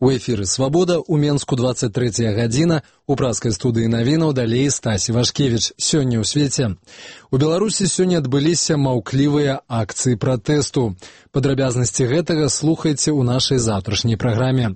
У эфіры «Свабода», у Менску 23 гадзіна, у праскай студыі навінаў далей Стась Івашкевіч. Сёння ў свеце. У Беларусі сёння адбыліся маўклівыя акцыі пратэсту. Падрабязнасці гэтага слухайце ў нашай заўтрашняй праграме.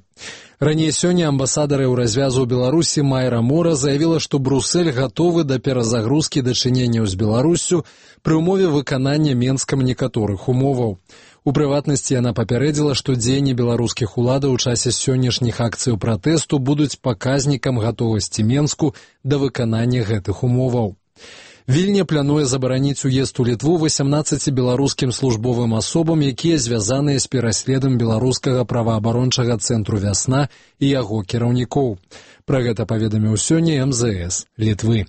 Раней сёння амбасадары ў развязу ў Беларусі Майра Мора заявіла, што Брусэль гатовы да перазагрузкі дачыненняў з Беларуссю пры ўмове выканання Менскам некаторых умоваў. У прыватнасці яна папярэдзіла, што дзеянні беларускіх уладаў у часе сённяшніх акцыяў пратэсту будуць паказнікам гатовасці Менску да выканання гэтых умоваў. Вільня плануе забараніць уезд у Літву 18 беларускім службовым асобам, якія звязаныя з пераследам беларускага праваабарончага цэнтру «Вясна» і яго кіраўнікоў. Пра гэта паведаміў сёння МЗС Літвы.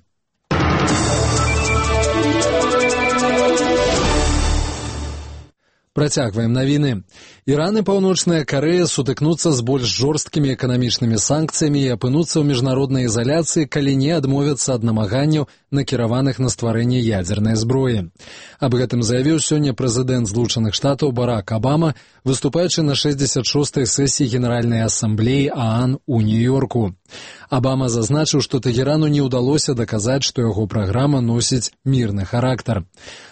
Працягваем навіны. Іран і Паўночная Карэя сутыкнуцца з больш жорсткімі эканамічнымі санкцыямі і апынуцца ў міжнароднай изаляцыі, калі не адмовяцца ад намаганняў, накіраваных на стварэнне ядзернай зброі. Аб гэтым заявіў сёння прэзідэнт Злучаных Штатаў Барак Абама, выступаючы на 66-й сесіі Генеральнай асамблеі ААН у Нью-Йорку. Абама зазначыў, што Тэгерану не ўдалося даказаць, што яго праграма носіць мірны характар.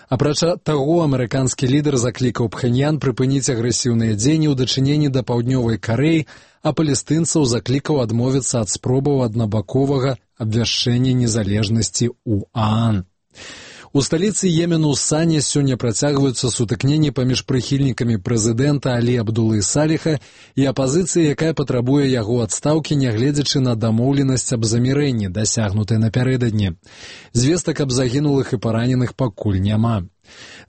Апрача таго, амерыканскі лідар заклікаў Пхеньян прыпыніць агрэсіўныя дзеянні ў дачыненні да Паўднёвай Карэі, а палестынцаў заклікаў адмовіцца ад спробаў аднабаковага абвяшчэння незалежнасці ў ААН. У сталіцы Йемену Сане сёння працягваюцца сутыкненні паміж прыхільнікамі прэзідэнта Алі Абдулы Саліха і апазіцыі, якая патрабуе яго адстаўкі, нягледзячы на дамоўленасць аб замірэнні, дасягнутай напярэдадні. Звестак аб загінулых і параненых пакуль няма.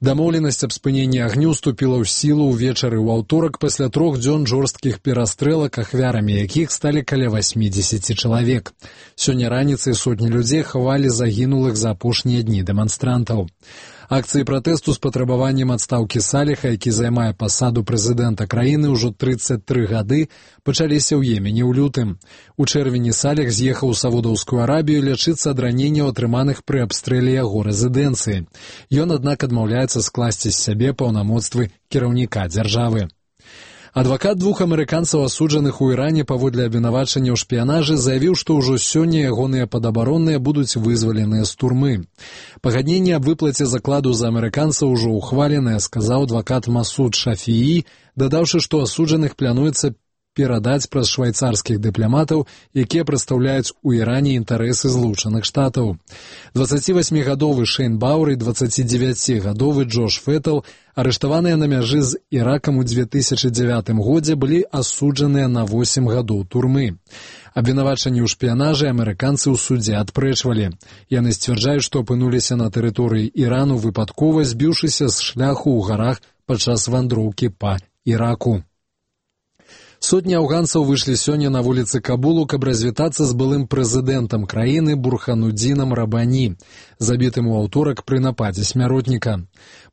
Дамоўленасць аб спыненні агню ўступіла ў сілу ўвечары ў аўторак пасля 3 дзён жорсткіх перастрэлак, ахвярамі якіх сталі каля 80 чалавек. Сёння раніцай сотні людзей хавалі загінулых за апошнія дні дэманстрантаў. Акцыі пратэсту з патрабаваннем адстаўкі Саліха, які займае пасаду прэзідэнта краіны ўжо 33 гады, пачаліся ў Йемене ў лютым. У чэрвені Саліх з'ехаў у Саудаўскую Арабію лячыцца ад раненняў, атрыманых пры абстрэле яго рэзідэнцыі. Ён, аднак, адмаўляецца скласці з сябе паўнамоцтвы кіраўніка дзяржавы. Адвакат 2 амерыканцаў, асуджаных у Іране паводле абвінавачання ў шпіянажы, заявіў, што ўжо сёння ягоныя падабаронныя будуць вызваленыя з турмы. Пагадненне аб выплаце закладу за амерыканцаў ужо ухваленае, сказаў адвакат Масуд Шафіі, дадаўшы, што асуджаных плануецца перадаць праз швайцарскіх дыпламатаў, якія прадстаўляюць у Іране інтарэсы Злучаных Штатаў. 28-гадовы Шейн Бауэр і 29-гадовы Джош Феттл, арыштаваныя на мяжы з Іракам у 2009 годзе, былі асуджаныя на 8 гадоў турмы. Абвінавачанні ў шпіянажы амерыканцы ў судзе адпрэчвалі. Яны сцвярджаюць, што апынуліся на тэрыторыі Ірану выпадкова, збіўшыся з шляху ў гарах падчас вандроўкі па Іраку. Сотні афганцаў выйшлі сёння на вуліцы Кабулу, каб развітацца з былым прэзідэнтам краіны Бурханудзінам Рабані, забітым у аўторак пры нападзе смяротніка.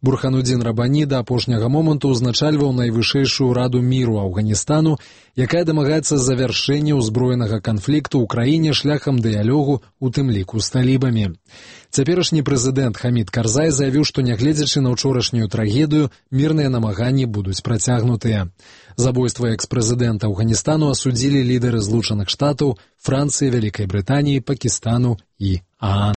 Бурханудзін Рабані да апошняга моманту ўзначальваў найвышэйшую раду міру Афганістану, якая дамагаецца завяршэння ўзброенага канфлікту ў краіне шляхам дыялогу, у тым ліку з талібамі. Цяперашні прэзідэнт Хамід Карзай заявіў, што нягледзячы на ўчорашнюю трагедыю, мірныя намаганні будуць працягнутыя. Забойства экс-прэзідэнта Афганістану асудзілі лідары Злучаных Штатаў, Францыі, Вялікай Брытаніі, Пакістану і ААН.